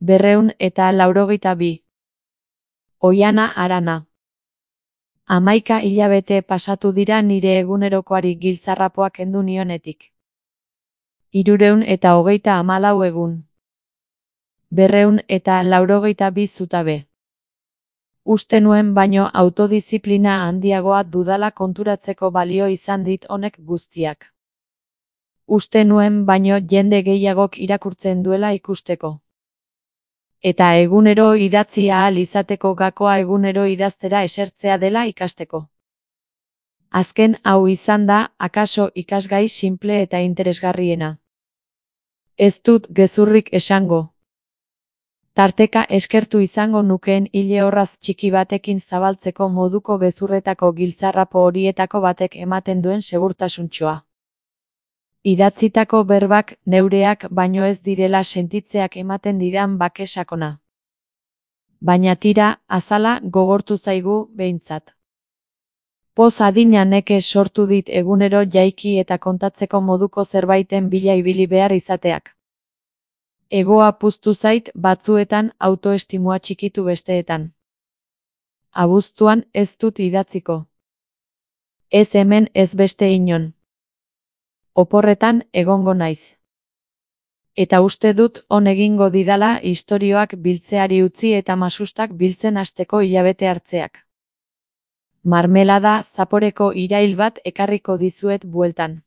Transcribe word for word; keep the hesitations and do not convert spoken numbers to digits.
Berreun eta laurogeita bi. Oiana Arana. Hamaika hilabete pasatu dira nire egunerokoari giltzarrapoa kendu nionetik. Hirureun eta hogeita hamalau egun. Berreun eta laurogeita bi zutabe. Uste nuen baino autodiziplina handiagoa dudala konturatzeko balio izan dit honek guztiak. Uste nuen baino jende gehiagok irakurtzen duela ikusteko. Eta egunero idatzi ahal izateko gakoa egunero idaztera esertzea dela ikasteko. Azken hau izan da, akaso ikasgai sinple eta interesgarriena. Ez dut gezurrik esango. Tarteka eskertu izango nukeen ile orraz txiki batekin zabaltzeko moduko gezurretako giltzarrapo horietako batek ematen duen segurtasuntxoa. Idatzitako berbak neureak baino ez direla sentitzeak ematen didan bake sakona. Baina tira, azala gogortu zaigu behintzat. Poz adina neke sortu dit egunero jaiki eta kontatzeko moduko zerbaiten bila ibili behar izateak. Egoa puztu zait batzuetan autoestimua txikitu besteetan. Abuztuan ez dut idatziko. Ez hemen ez beste inon. Oporretan egongo naiz. Eta uste dut on egingo didala istorioak biltzeari utzi eta masustak biltzen hasteko hilabete hartzeak. Marmelada zaporeko irail bat ekarriko dizuet bueltan.